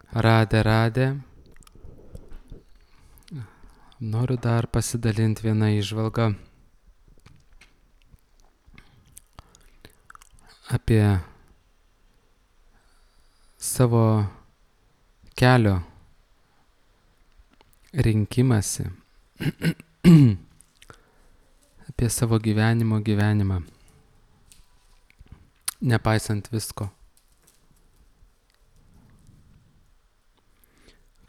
Radė. Noriu dar pasidalinti vieną įžvalgą apie savo kelio rinkimąsi, apie savo gyvenimą, nepaisant visko.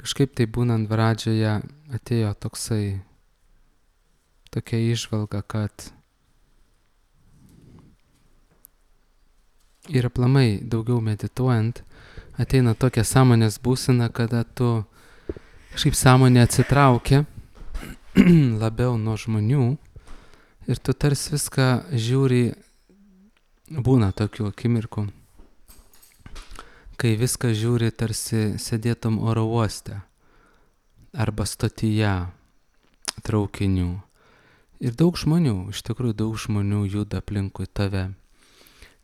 Kažkaip tai būnant Vradžioje atėjo tokia įžvalga, kad ir aplamai daugiau medituojant ateina tokia sąmonės būsena, kada tu kažkaip sąmonė atsitraukia labiau nuo žmonių ir tu tarsi viską žiūri, būna tokių akimirkų, kai viską žiūri tarsi sėdėtum oro uoste arba stotyje traukinių. Ir daug žmonių, iš tikrųjų daug žmonių juda aplinkui tave.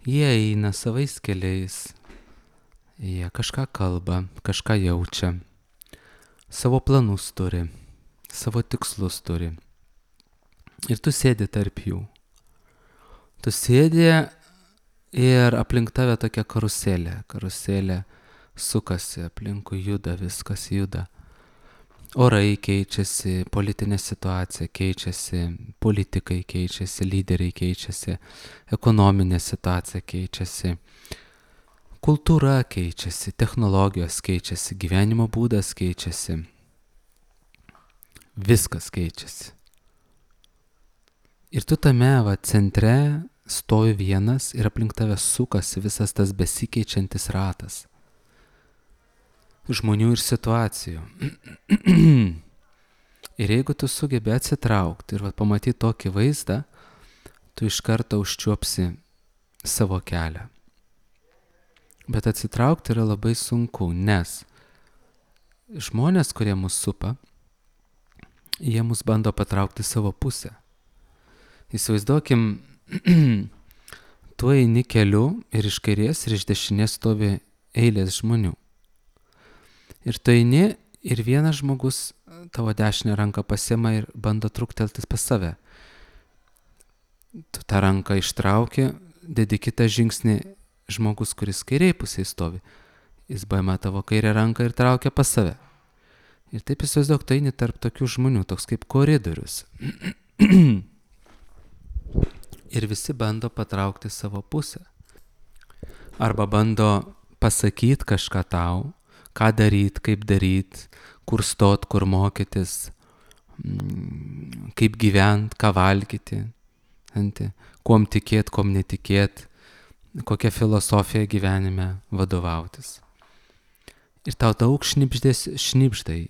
Jie eina savais keliais, jie kažką kalba, kažką jaučia, savo planus turi, savo tikslus turi. Ir tu sėdi tarp jų. Tu sėdi ir aplink tave tokia karuselė sukasi, aplinkui juda, viskas juda. Orai keičiasi, politinė situacija keičiasi, politikai keičiasi, lyderiai keičiasi, ekonominė situacija keičiasi, kultūra keičiasi, technologijos keičiasi, gyvenimo būdas keičiasi, viskas keičiasi. Ir tu tame centre stovi vienas ir aplink tave sukasi visas tas besikeičiantis ratas žmonių ir situacijų. Ir jeigu tu sugebi atsitraukti ir pamatyti tokį vaizdą, tu iš karto užčiuopsi savo kelią. Bet atsitraukti yra labai sunku, nes žmonės, kurie mus supa, jie mus bando patraukti savo pusę. Įsivaizduokim, tu eini keliu ir iš kairės ir iš dešinės stovi eilės žmonių. Ir tu eini ir vienas žmogus tavo dešinę ranką pasiema ir bando trukteltis pas save. Tu tą ranką ištrauki, dedi kitą žingsnį, žmogus, kuris kairiai pusėje stovi. Jis paima tavo kairę ranką ir traukia pas save. Ir taip įsivaizduok, tu eini tarp tokių žmonių, toks kaip koridorius. Ir visi bando patraukti savo pusę. Arba bando pasakyti kažką tau, ką daryti, kaip daryti, kur stot, kur mokytis, kaip gyventi, ką valgyti, kuom tikėti, kuom netikėti, kokią filosofiją gyvenime vadovautis. Ir tau daug šnibždai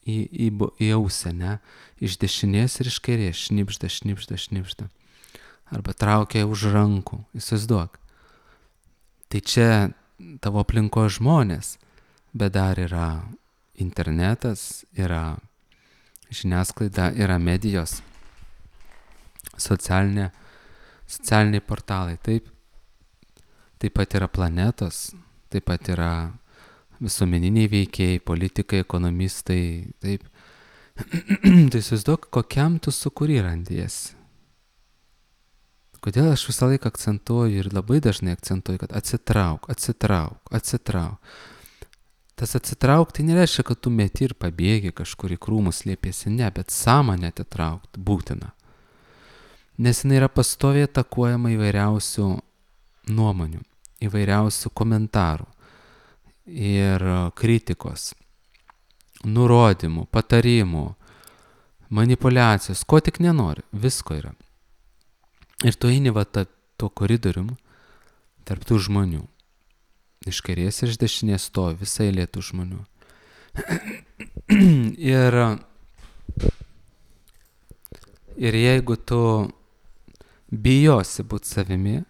į ausį, ne? Iš dešinės ir iš kairės šnibžda. Arba traukia už rankų, įsivaizduok. Tai čia tavo aplinko žmonės, bet dar yra internetas, yra žiniasklaida, yra medijos, socialiniai portalai, taip pat yra planetos, taip pat yra visuomeniniai veikėjai, politikai, ekonomistai, taip. Tai įsivaizduok, kokiam tu sukūri randiesi. Kodėl aš visą laiką akcentuoju ir labai dažnai akcentuoju, kad atsitrauk. Tas atsitrauk tai nereiškia, kad tu meti ir pabėgi kažkur į krūmus slėpiesi, ne, bet sąmonę atitraukti būtina. Nes jinai yra pastoviai atakuojama įvairiausių nuomonių, įvairiausių komentarų ir kritikos, nurodymų, patarimų, manipulacijos, ko tik nenori, visko yra. Ir tu eini tuo koridorium tarp tų žmonių. Iš kairės ir iš dešinės stovi visai eilė tų žmonių. Ir jeigu tu bijosi būti savimi,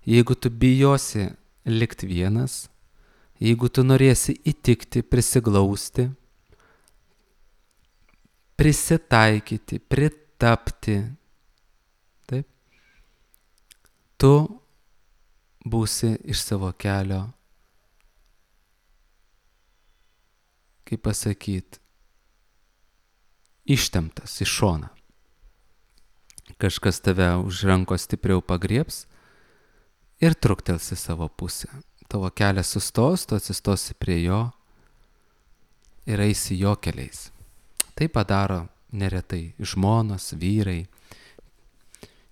jeigu tu bijosi likti vienas, jeigu tu norėsi įtikti, prisiglausti, prisitaikyti, pritapti, taip, tu būsi iš savo kelio kaip pasakyti, ištemptas į šoną. Kažkas tave už rankos stipriau pagriebs ir truktels į savo pusę. Tavo kelias sustos, tu atsistosi prie jo ir eisi jo keliais. Tai padaro neretai žmonos, vyrai,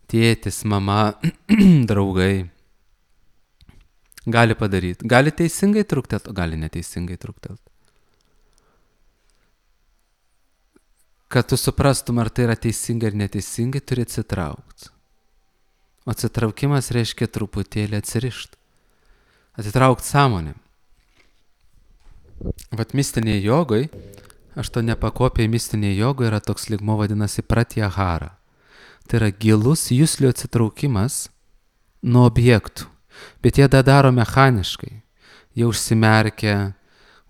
tėtis, mama, draugai. Gali padaryti. Gali teisingai truktelt, o gali neteisingai truktelt. Kad tu suprastum, ar tai yra teisingai ar neteisingai, turi atsitraukti. O atsitraukimas reiškia truputėlį atsirišti. Atitraukti sąmonę. Vat mistinėje jogai, aštuoniapakopėje mistinėje jogoje yra toks lygmo vadinasi pratyahara. Tai yra gilus juslių atsitraukimas nuo objektų. Bet jie daro mechaniškai. Jie užsimerkia,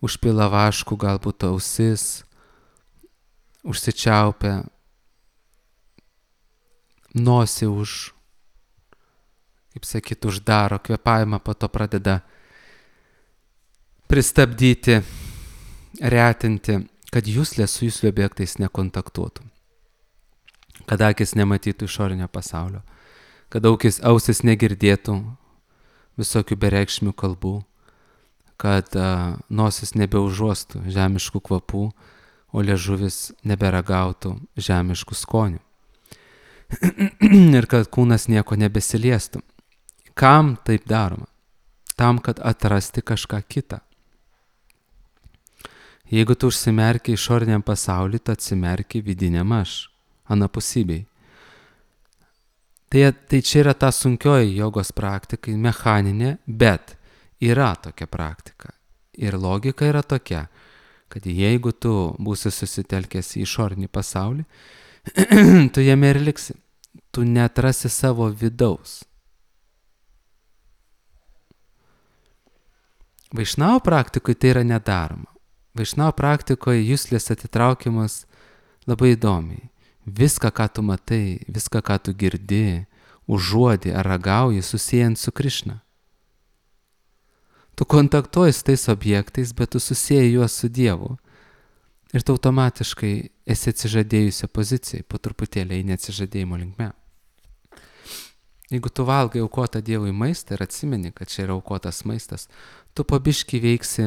užpila vaškų galbūt ausis, užsičiaupia, nosį kaip sakyt, uždaro kvėpavimą, po to pradeda pristabdyti, retinti, kad juslė su juslių objektais nekontaktuotų. Kad akis nematytų išorinio pasaulio. Kad ausis negirdėtų visokių bereikšmių kalbų. Kad nosis nebeužuostų žemiškų kvapų, o liežuvis neberagautų žemiškų skonių. Ir kad kūnas nieko nebesiliestų. Kam taip daroma? Tam, kad atrasti kažką kitą. Jeigu tu užsimerki išoriniam pasauliu, tu atsimerki vidiniam aš, anapusybei. Tai čia yra ta sunkioji jogos praktika, mechaninė, bet yra tokia praktika. Ir logika yra tokia, kad jeigu tu būsi susitelkęs į išorinį pasaulį, tu jame ir liksi. Tu neatrasi savo vidaus. Vaišnavo praktikoje tai yra nedaroma. Vaišnavo praktikoje juslės atitraukimas labai įdomiai. Viską, ką tu matai, viską, ką tu girdi, užuodi ar ragauji, susijant su Krišna. Tu kontaktuoji su tais objektais, bet tu susieji juos su Dievu. Ir tu automatiškai esi atsižadėjusią poziciją, po truputėlį eini atsižadėjimo linkme. Jeigu tu valgai aukotą Dievui maistą ir atsimeni, kad čia yra aukotas maistas, tu po biškį veiksi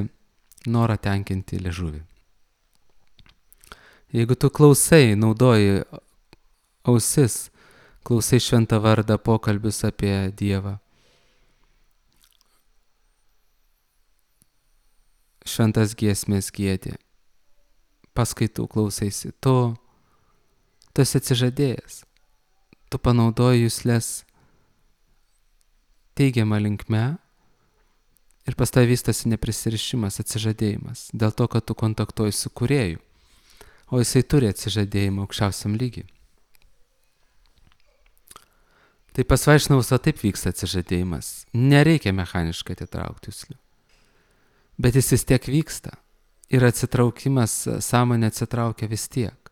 norą tenkinti liežuvį. Jeigu tu klausai, naudoji ausis, klausai šventą vardą, pokalbius apie Dievą, šventas giesmės giedi, paskaitų klausaisi, tu esi atsižadėjęs, tu panaudoji juslės teigiamą linkme ir pas tavęs vystosi neprisirišimas, atsižadėjimas, dėl to, kad tu kontaktuoji su Kūrėju, o jisai turi atsižadėjimą aukščiausiam lygiui. Tai pas vaišnavus taip vyksta atsižadėjimas, nereikia mechaniškai atitraukti juslių, bet jis vis tiek vyksta ir atsitraukimas, sąmonė atsitraukia vis tiek.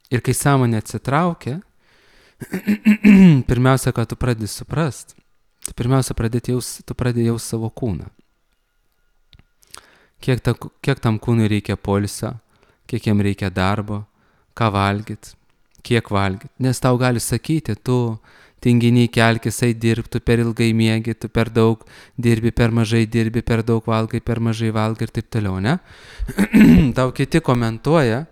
Ir kai sąmonė atsitraukia, pirmiausia, ką tu pradedi suprast, tai pirmiausia, tu pradedi jaust savo kūną. Kiek tam kūnui reikia poilsio, kiek jam reikia darbo, ką valgyt, kiek valgyt. Nes tau gali sakyti, tu tinginiai kelkis, eit dirbti, tu per ilgai miegi, tu per daug dirbi, per mažai dirbi, per daug valgai, per mažai valgai ir taip toliau, ne? Tau kiti komentuoja,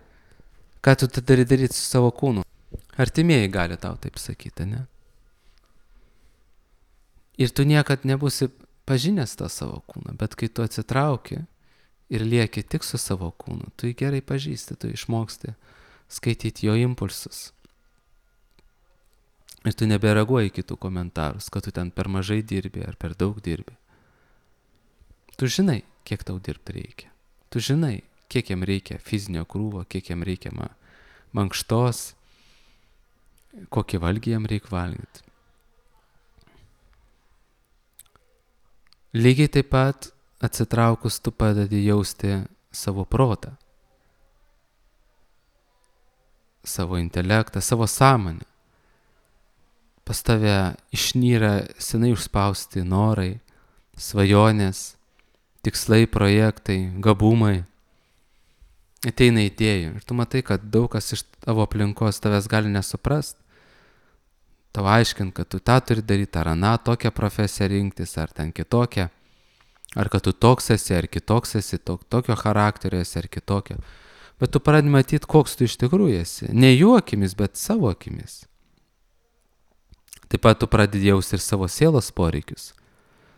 ką tu turi daryti su savo kūnu. Artimieji gali tau taip sakyti, ne? Ir tu niekad nebūsi pažinęs tą savo kūną, bet kai tu atsitrauki ir lieki tik su savo kūnu, tu jį gerai pažįsti, tu išmoksti skaityti jo impulsus. Ir tu nebereaguoji kitų komentarus, kad tu ten per mažai dirbi ar per daug dirbi. Tu žinai, kiek tau dirbti reikia. Tu žinai, kiek jam reikia fizinio krūvo, kiek jam reikia mankštos, kokį valgį jam reikia valgyti. Lygiai taip pat atsitraukus tu padedi jausti savo protą, savo intelektą, savo sąmonę. Pas tave išnyra senai užspausti norai, svajonės, tikslai, projektai, gabumai. Ateina idėjų ir tu matai, kad daug kas iš tavo aplinkos tavęs gali nesuprast. Tau aiškint, kad tu tą turi daryti, ar aną tokią profesiją rinktis, ar ten kitokią. Ar kad tu toks esi, ar kitoks esi, tokio charakterio esi, ar kitokio. Bet tu pradedi matyti, koks tu iš tikrųjų esi. Ne jų akimis, bet savo akimis. Taip pat tu pradedi jausti ir savo sielos poreikius.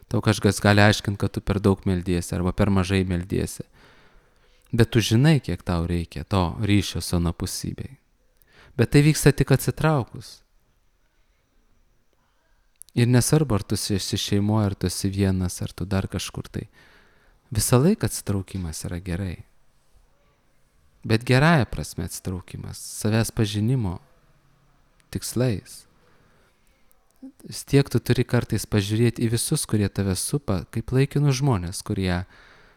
Tau kažkas gali aiškinti, kad tu per daug meldiesi arba per mažai meldiesi. Bet tu žinai, kiek tau reikia to ryšio su anapusybei. Bet tai vyksta tik atsitraukus. Ir nesvarbu, ar tu esi šeimoje, ar tu esi vienas, ar tu dar kažkur tai. Visą laiką atsitraukimas yra gerai. Bet gerąja prasme atsitraukimas, savęs pažinimo tikslais. Vis tiek tu turi kartais pažiūrėti į visus, kurie tave supa, kaip laikinus žmonės, kurie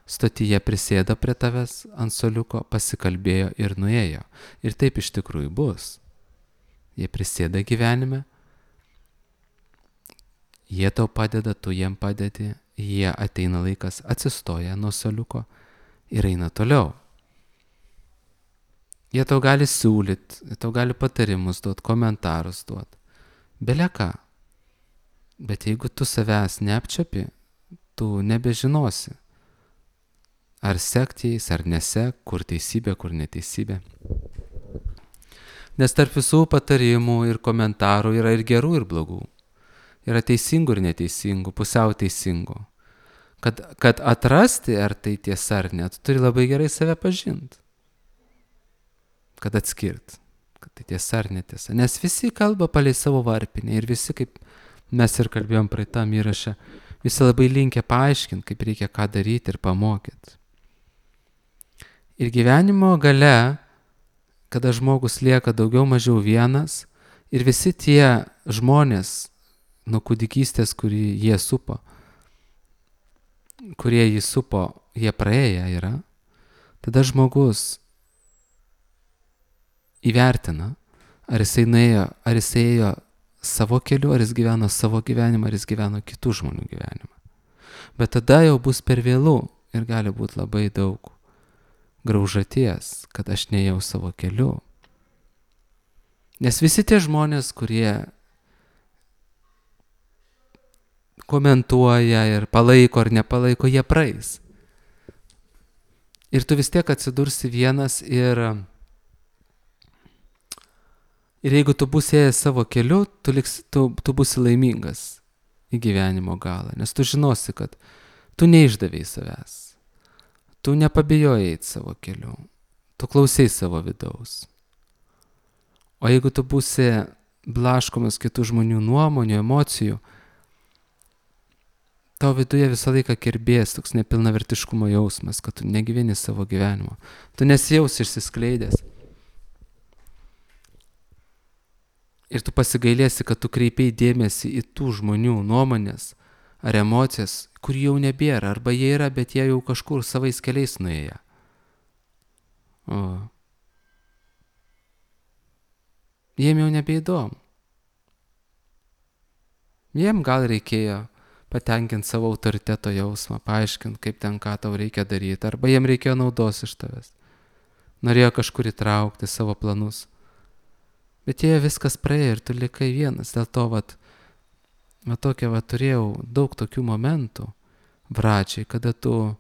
stotyje prisėdo prie tavęs ant suoliuko, pasikalbėjo ir nuėjo. Ir taip iš tikrųjų bus. Jie prisėda gyvenime, jie tau padeda, tu jiem padedi, jie ateina laikas, atsistoja nuo suoliuko ir eina toliau. Jie tau gali siūlyti, tau gali patarimus duoti, komentarus duoti. Bele ką. Bet jeigu tu savęs neapčiapi, tu nebežinosi, ar sekti jais, ar nesek, kur teisybė, kur neteisybė. Nes tarp visų patarimų ir komentarų yra ir gerų, ir blogų. Yra teisingų ir neteisingų, pusiau teisingų. Kad atrasti, ar tai tiesa ar ne, tu turi labai gerai save pažinti. Kad atskirt, kad tai tiesa ar netiesa. Nes visi kalba palei savo varpinę ir visi, kaip mes ir kalbėjom praeitam įraše, visi labai linkę paaiškinti, kaip reikia ką daryti ir pamokyti. Ir gyvenimo gale, kada žmogus lieka daugiau mažiau vienas ir visi tie žmonės nuo kūdikystės, kurie jie supo, kurie jį supo, jie praėję yra, tada žmogus įvertina, ar jisai nuėjo, ar jisai ėjo savo keliu, ar jis gyveno savo gyvenimą, ar jis gyveno kitų žmonių gyvenimą. Bet tada jau bus per vėlų ir gali būti labai daug graužaties, kad aš neėjau savo keliu. Nes visi tie žmonės, kurie komentuoja ir palaiko ar nepalaiko, jie praeis. Ir tu vis tiek atsidursi vienas ir jeigu tu būsi ėjęs savo keliu, tu būsi laimingas į gyvenimo galą. Nes tu žinosi, kad tu neišdavei savęs. Tu nepabijojai eiti savo keliu. Tu klausai savo vidaus. O jeigu tu būsi blaškomas kitų žmonių nuomonių, emocijų, tau viduje visą laiką kirbės toks nepilnavertiškumo jausmas, kad tu negyveni savo gyvenimo. Tu nesijausi išsiskleidęs. Ir tu pasigailėsi, kad tu kreipiai dėmesį į tų žmonių nuomonės ar emocijas, kur jau nebėra, arba jie yra, bet jie jau kažkur savais keliais nuėję. Jiem jau nebeįdomu. Jiem gal reikėjo patenkinti savo autoriteto jausmą, paaiškinti, kaip ten ką tau reikia daryti, arba jiem reikėjo naudos iš tavęs. Norėjo kažkur įtraukti savo planus. Bet jie viskas praėjo ir tu likai vienas. Dėl to, turėjau daug tokių momentų pradžiai, kada tu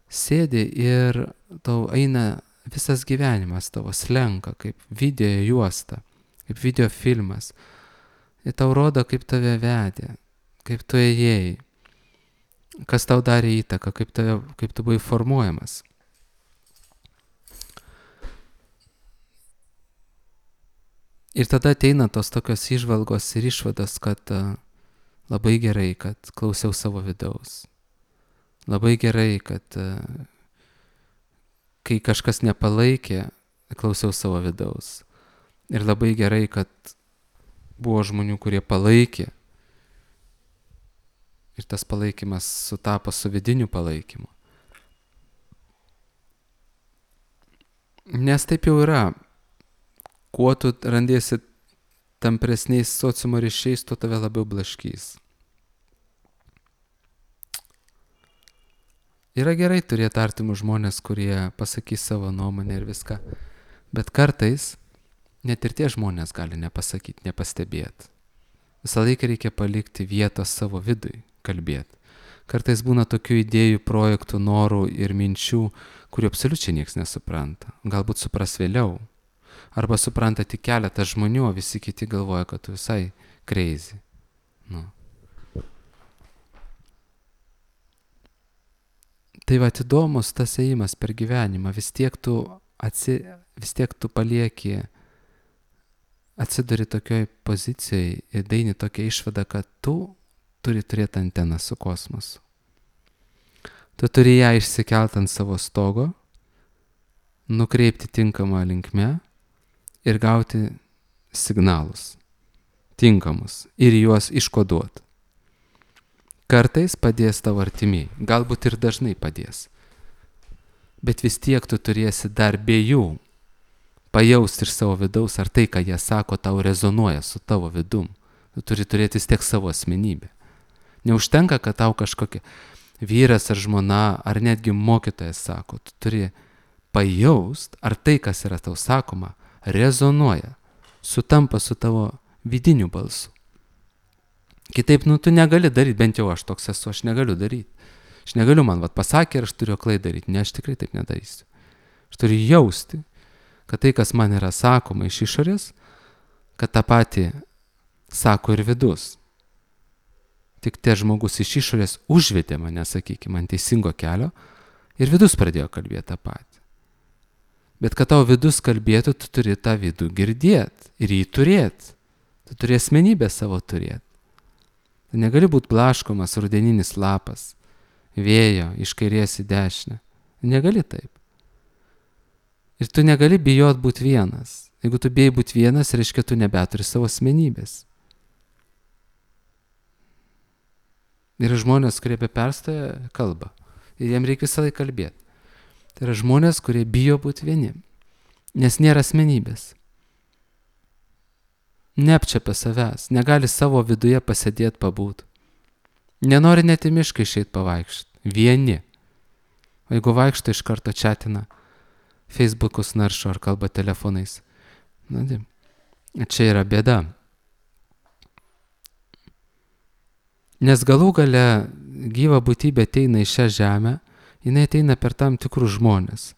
sėdi ir tau eina visas gyvenimas tavo slenka, kaip video juosta, kaip video filmas. Ir tau rodo, kaip tave vedė, kaip tu ėjai, kas tau darė įtaką, kaip tu buvai formuojamas. Ir tada ateina tos tokios įžvalgos ir išvados, kad labai gerai, kad klausiau savo vidaus. Labai gerai, kad kai kažkas nepalaikė, klausiau savo vidaus. Ir labai gerai, kad buvo žmonių, kurie palaikė. Ir tas palaikymas sutapo su vidiniu palaikymu. Nes taip jau yra. Kuo tu randiesi tampresniais sociumo ryšiais, tuo tave labiau blaškys. Yra gerai turėti artimus žmonės, kurie pasakys savo nuomonę ir viską. Bet kartais net ir tie žmonės gali nepasakyti, nepastebėti. Visą laiką reikia palikti vietos savo vidui kalbėti. Kartais būna tokių idėjų, projektų, norų ir minčių, kurių absoliučiai niekas nesupranta. Galbūt supras vėliau. Arba supranta tik keletas žmonių, o visi kiti galvoja, kad tu visai crazy. Nu. Tai va, įdomus tas ėjimas per gyvenimą. Vis tiek tu palieki, atsiduri tokioj pozicijai ir daini tokia išvada, kad tu turi turėti anteną su kosmosu. Tu turi ją išsikelt ant savo stogo, nukreipti tinkamą linkme ir gauti signalus tinkamus ir juos iškoduoti. Kartais padės tavo artimiai, galbūt ir dažnai padės. Bet vis tiek tu turėsi dar be jų pajausti iš savo vidaus, ar tai, ką jie sako, tau rezonuoja su tavo vidum. Tu turi turėti vis tiek savo asmenybę. Neužtenka, kad tau kažkokia vyras ar žmona, ar netgi mokytojas sako, tu turi pajaust, ar tai, kas yra tau sakoma, rezonuoja, sutampa su tavo vidiniu balsu. Kitaip, tu negali daryti, bent jau aš toks esu, aš negaliu daryti. Aš negaliu, man pasakė ir aš turiu aklai daryti. Ne, aš tikrai taip nedarysiu. Aš turiu jausti, kad tai, kas man yra sakoma iš išorės, kad tą patį sako ir vidus. Tik tie žmogus iš išorės užvedė mane, sakykime, ant teisingo kelio ir vidus pradėjo kalbėti tą patį. Bet kad tavo vidus kalbėtų, tu turi tą vidų girdėti ir jį turėti. Tu turi asmenybę savo turėti. Tu negali būti blaškomas rudeninis lapas, vėjo iš kairės į dešinę. Negali taip. Ir tu negali bijot būti vienas. Jeigu tu bijai būti vienas, reiškia, tu nebeturi savo asmenybės. Yra žmonės, kurie apie perstoją kalba. Ir jiem reikia visą laiką kalbėti. Tai yra žmonės, kurie bijo būti vieni. Nes nėra asmenybės. Neapčiapia savęs. Negali savo viduje pasėdėti, pabūt. Nenori net į mišką išeit pavaikščioti. Vieni. O jeigu vaikšto, iš karto chatina, Facebookus naršo ar kalba telefonais. Čia yra bėda. Nes galų gale gyva būtybė ateina į šią žemę, jinai ateina per tam tikrus žmonės.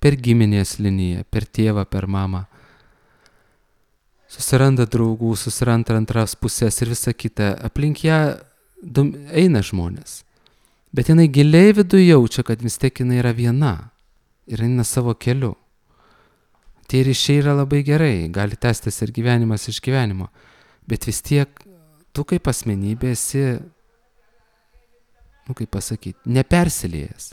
Per giminės liniją, per tėvą, per mamą. Susiranda draugų, susiranda antras pusės ir visa kita. Aplink ją eina žmonės. Bet jinai giliai viduje jaučia, kad vis tiek jinai yra viena. Ir eina savo keliu. Tie ryšiai yra labai gerai, gali tęstis ir gyvenimas iš gyvenimo. Bet vis tiek tu kaip asmenybė esi, kaip pasakyti, nepersilėjęs.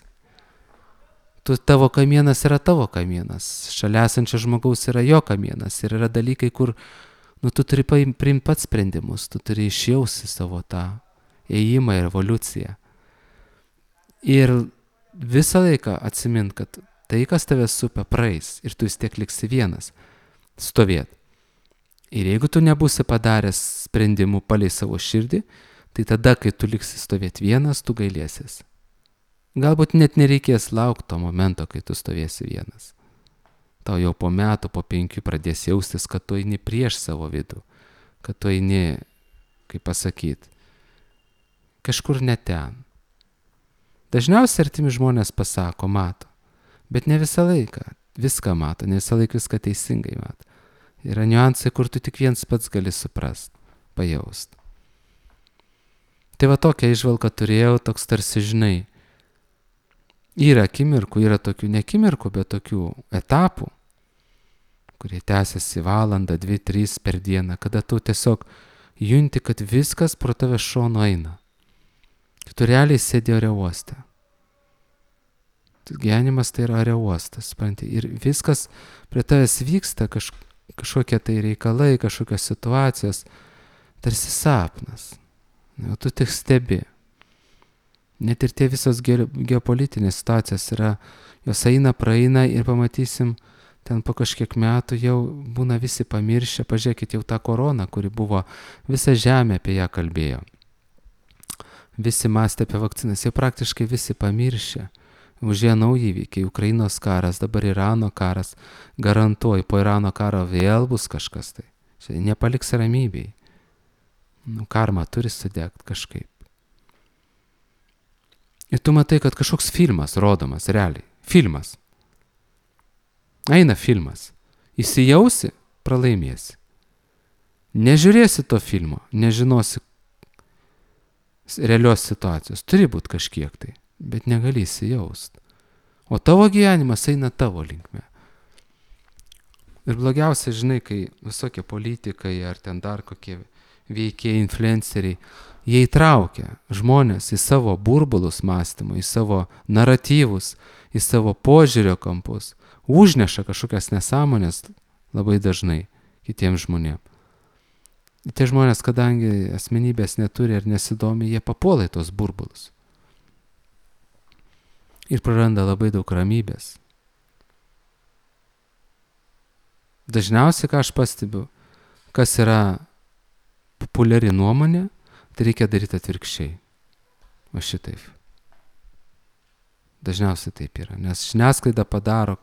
Tavo kamienas yra tavo kamienas, šalia esančio žmogaus yra jo kamienas ir yra dalykai, kur tu turi priimti pats sprendimus, tu turi išjausti savo tą ėjimą ir evoliuciją. Ir visą laiką atsimint, kad tai, kas tave supia, praeis ir tu vis tiek liksi vienas stovėt. Ir jeigu tu nebūsi padaręs sprendimų palei savo širdį, tai tada, kai tu liksi stovėt vienas, tu gailėsies. Galbūt net nereikės laukti to momento, kai tu stovėsi vienas. Tau jau po metų, po 5 pradės jaustis, kad tu eini prieš savo vidų, kad tu eini, kaip pasakyti, kažkur ne ten. Dažniausiai artimi žmonės pasako, mato, bet ne visą laiką viską mato, ne visą laiką viską teisingai mato. Yra niuansai, kur tu tik viens pats gali suprast, pajaust. Tai va tokią įžvalgą turėjau, toks tarsi žinai, yra akimirkų, yra tokių ne akimirkų, bet tokių etapų, kurie tęsiasi valandą, 2, 3 per dieną, kada tu tiesiog junti, kad viskas pro tave šonu eina. Tu realiai sėdi ore uoste. Gyvenimas tai yra ore uostas, supranti, ir viskas prie tavęs vyksta, kažkokie tai reikalai, kažkokios situacijos, tarsi sapnas. O tu tik stebi. Net ir tie visos geopolitinės situacijos yra, jos eina, praeina ir pamatysim, ten po kažkiek metų jau būna visi pamiršę, pažiūrėkit jau tą koroną, kuri buvo, visa žemė apie ją kalbėjo. Visi mąstė apie vakcinas, jau praktiškai visi pamiršę. užėjo nauji įvykiai, Ukrainos karas, dabar Irano karas, garantuoju, po Irano karo vėl bus kažkas tai. Čia nepaliks ramybėj. Karma turi sudegti kažkaip. Ir tu matai, kad kažkoks filmas rodomas, realiai. Filmas. Eina filmas. Įsijausi, pralaimėsi. Nežiūrėsi to filmo, nežinosi realios situacijos. Turi būti kažkiek tai, bet negali įsijaust. O tavo gyvenimas eina tavo linkme. Ir blogiausia, žinai, kai visokie politikai ar ten dar kokie veikiai, influenceriai, jie įtraukia žmonės į savo burbulus mąstymų, į savo naratyvus, į savo požiūrio kampus, užneša kažkokias nesąmonės labai dažnai kitiems žmonėms. Tie žmonės, kadangi asmenybės neturi ir nesidomi, jie papuola į tos burbulus. Ir praranda labai daug ramybės. Dažniausiai, ką aš pastebiu, kas yra populiari nuomonė, tai reikia daryti atvirkščiai. O šitaip. Dažniausiai taip yra, nes žiniasklaida padaro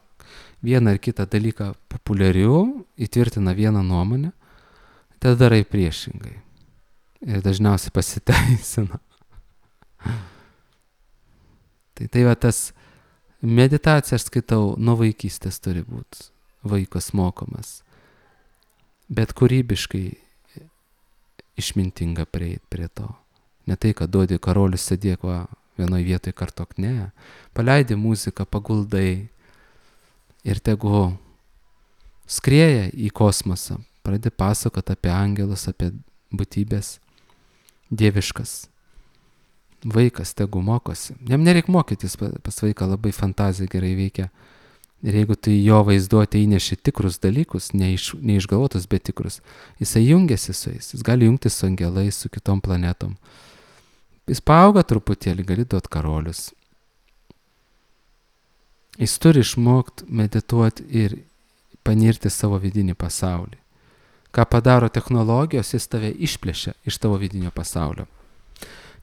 vieną ar kitą dalyką populiariu, įtvirtina vieną nuomonę, tada darai priešingai. Ir dažniausiai pasiteisina. Tai va tas meditacija, aš skaitau, nuo vaikystės turi būti vaikas mokomas. Bet kūrybiškai išmintinga prieit prie to. Ne tai, kad duodi karolius sėdėk va vienoje vietoje kartok, ne. Paleidi muziką, paguldai ir tegu skrieja į kosmosą. Pradedi pasakoti apie angelus, apie būtybės dieviškas. Vaikas tegu mokosi. Jam nereik mokytis, pas vaiką labai fantazija gerai veikia. Ir jeigu tu į jo vaizduotę įneši tikrus dalykus, neišgalvotus, bet tikrus, jisai jungiasi su jais. Jis gali jungtis su angelais, su kitom planetom. Jis paauga truputėlį, gali duoti karolius. Jis turi išmokti medituoti ir panirti savo vidinį pasaulį. Ką padaro technologijos, jis tave išplėšia iš tavo vidinio pasaulio.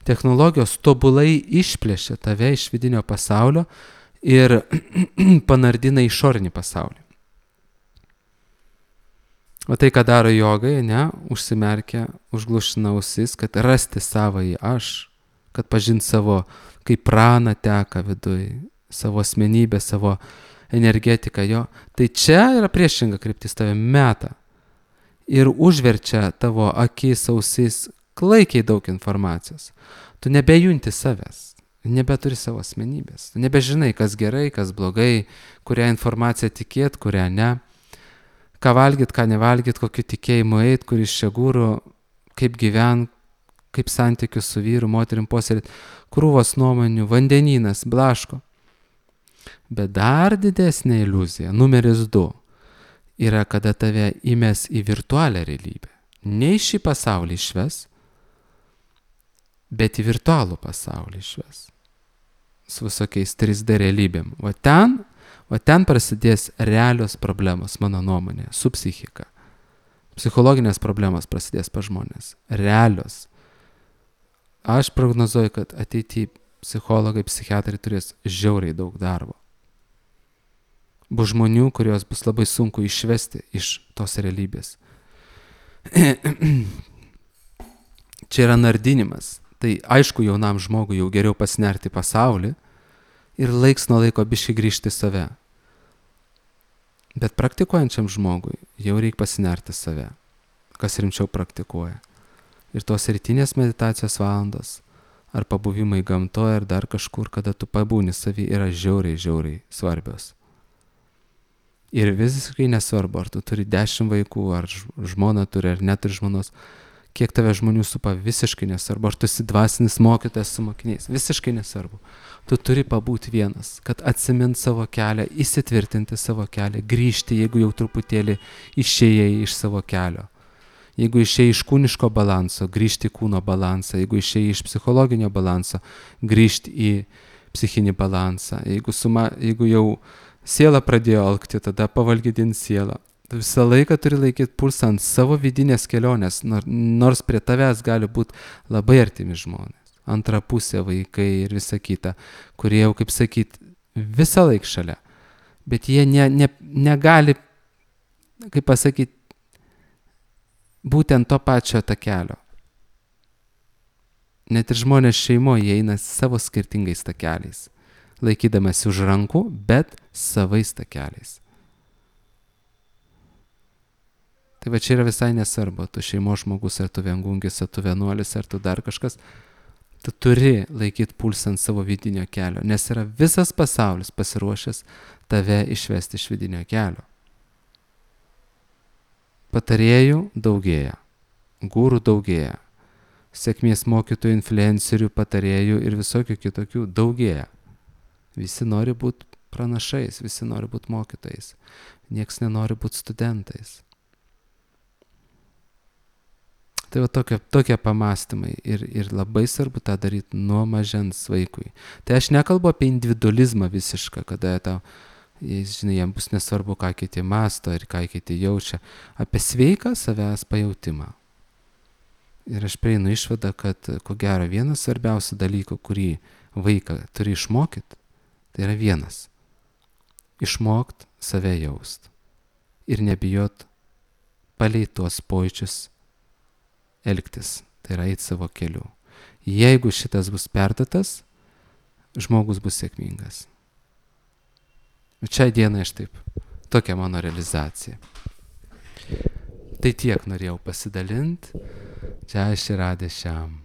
Technologijos tobulai išplėšia tave iš vidinio pasaulio ir panardina išorinį pasaulį. O tai, ką daro jogai, ne, užsimerkia, užglušina ausis, kad rasti savąjį aš, kad pažint savo, kaip prana teka viduj, savo asmenybę, savo energetiką jo. Tai čia yra priešinga kryptis, tave meta ir užverčia tavo akis, ausis, klaikiai daug informacijos. Tu nebejunti savęs, nebeturi savo asmenybės. Tu nebežinai, kas gerai, kas blogai, kurią informaciją tikėt, kurią ne. Ką valgyt, ką nevalgyt, kokiu tikėjimu eit, kuris čia gūrų, kaip gyvent, kaip santykius su vyru, moterim puoselėt, krūvos nuomonių, vandenynas, blaško. Bet dar didesnė iliuzija, numeris 2, yra, kada tave įmes į virtualią realybę. Ne į šį pasaulį išves, bet į virtualų pasaulį išves. Su visokiais 3D realybėm. Va ten prasidės realios problemos, mano nuomonė, su psichika. Psichologinės problemos prasidės pa žmonės. Realios. Aš prognozuoju, kad ateityje psichologai, psichiatrai turės žiauriai daug darbo. Bus žmonių, kurios bus labai sunku išvesti iš tos realybės. Čia yra nardinimas. Tai aišku, jaunam žmogui jau geriau pasinerti pasaulį ir laiks nuo laiko biškai grįžti save. Bet praktikuojančiam žmogui jau reikia pasinerti save, kas rimčiau praktikuoja. Ir tos rytinės meditacijos valandos, ar pabuvimai gamtoje, ar dar kažkur, kada tu pabūni savy, yra žiauriai svarbios. Ir visiškai nesvarbu, ar tu turi 10 vaikų, ar žmona turi, ar neturi žmonos, kiek tave žmonių supa, visiškai nesvarbu, ar tu esi dvasinis mokytojas su mokiniais, visiškai nesvarbu. Tu turi pabūti vienas, kad atsimint savo kelią, įsitvirtinti savo kelią, grįžti, jeigu jau truputėlį išėjai iš savo kelio. Jeigu išėjai iš kūniško balanso, grįžti į kūno balansą, jeigu išėjai iš psichologinio balanso, grįžti į psichinį balansą. Jeigu jau siela pradėjo alkti, tada pavalgydinti sielą. Tu visą laiką turi laikyti pulsą ant savo vidinės kelionės, nors prie tavęs gali būti labai artimi žmonės. Antra pusė, vaikai ir visa kita, kurie jau, kaip sakyt, visą laiką šalia. Bet jie negali, kaip pasakyti, būtent to pačio takelio. Net ir žmonės šeimoje jie eina savo skirtingais takeliais, laikydamasi už rankų, bet savais takeliais. Tai va čia yra visai nesvarbu, tu šeimos žmogus, ar tu viengungis, ar tu vienuolis, ar tu dar kažkas, tu turi laikyti pulsą ant savo vidinio kelio, nes yra visas pasaulis pasiruošęs tave išvesti iš vidinio kelio. Patarėjų daugėja, gūrų daugėja, sėkmės mokytojų, influencerių, patarėjų ir visokių kitokių daugėja. Visi nori būti pranašais, visi nori būti mokytojais, nieks nenori būti studentais. Tai va tokie pamastymai ir labai svarbu tą daryti nuo mažens vaikui. Tai aš nekalbu apie individualizmą visišką, kada žinai, jam bus nesvarbu, ką kiti masto ir ką kiti jaučia, apie sveiką savęs pajautimą. Ir aš prieinu išvadą, kad ko gero vienas svarbiausių dalykų, kurį vaiką turi išmokyti, tai yra vienas. Išmokt save jaust ir nebijot palei tuos pojūčius elgtis, tai yra eiti savo keliu. Jeigu šitas bus perduotas, žmogus bus sėkmingas. Šiai dienai aš taip, tokia mano realizacija. Tai tiek norėjau pasidalinti. Čia aš ir Radė šiam.